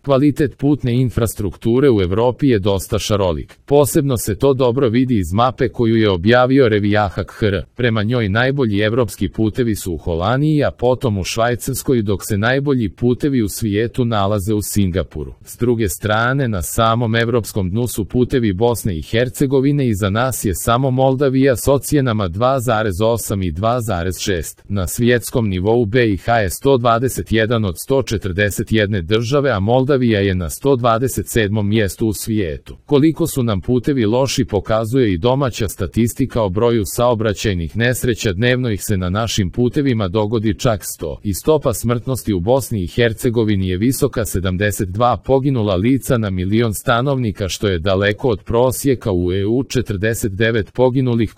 Kvalitet putne infrastrukture u Evropi je dosta šarolik. Posebno se to dobro vidi iz mape koju je objavio Revijahak.hr. Prema njoj najbolji evropski putevi su u Holandiji, a potom u Švajcarskoj, dok se najbolji putevi u svijetu nalaze u Singapuru. S druge strane, na samom evropskom dnu su putevi Bosne i Hercegovine i za nas je samo Moldavija s ocjenama 2,8 i 2,6. Na svjetskom nivou BiH je 121 od 141 države, a Moldavija je na 127. mjestu u svijetu. Koliko su nam putevi loši pokazuje i domaća statistika o broju saobraćajnih nesreća. Dnevno ih se na našim putevima dogodi čak 100. I stopa smrtnosti u Bosni i Hercegovini je visoka, 72 poginula lica na milion stanovnika, što je daleko od prosjeka u EU, 49 poginulih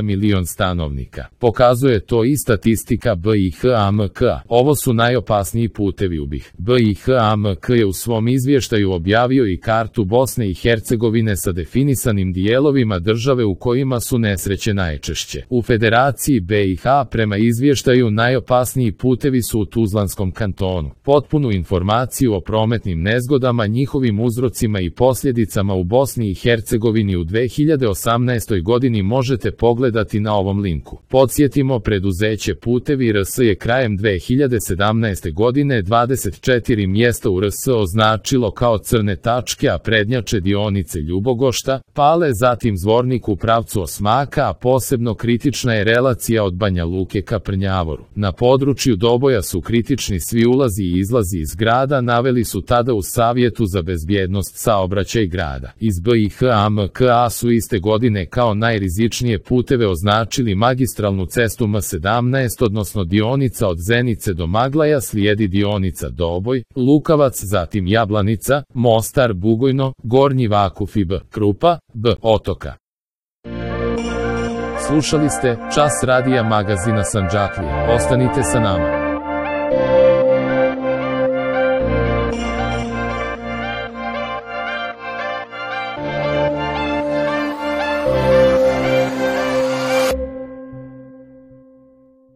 milion stanovnika. Pokazuje to i statistika BiH-AMK. Ovo su najopasniji putevi u BiH. BiH-AMK je u svom izvještaju objavio i kartu Bosne i Hercegovine sa definisanim dijelovima države u kojima su nesreće najčešće. U Federaciji BiH prema izvještaju najopasniji putevi su u Tuzlanskom kantonu. Potpunu informaciju o prometnim nezgodama, njihovim uzrocima i posljedicama u Bosni i Hercegovini u 2018. godini možete pogledati na ovom linku. Podsjetimo, preduzeće Putevi RS je krajem 2017. godine 24 mjesta u RS označilo kao crne tačke, a prednjače dionice Ljubogošta, Pale, zatim Zvornik u pravcu Osmaka, a posebno kritična je relacija od Banja Luke ka Prnjavoru. Na području Doboja su kritični svi ulazi i izlazi iz grada, naveli su tada u Savjetu za bezbjednost saobraćaj grada. Iz BiH-AMK-a su iste godine kao najrizičnije puteve označili magistralnu cestu M17, odnosno dionica od Zenice do Maglaja, slijedi dionica Doboj, Lukavac, zatim Jablanica, Mostar, Bugojno, Gornji Vakuf i Krupa, Otoka. Slušali ste Čas radija magazina Sandžaklija. Ostanite sa nama.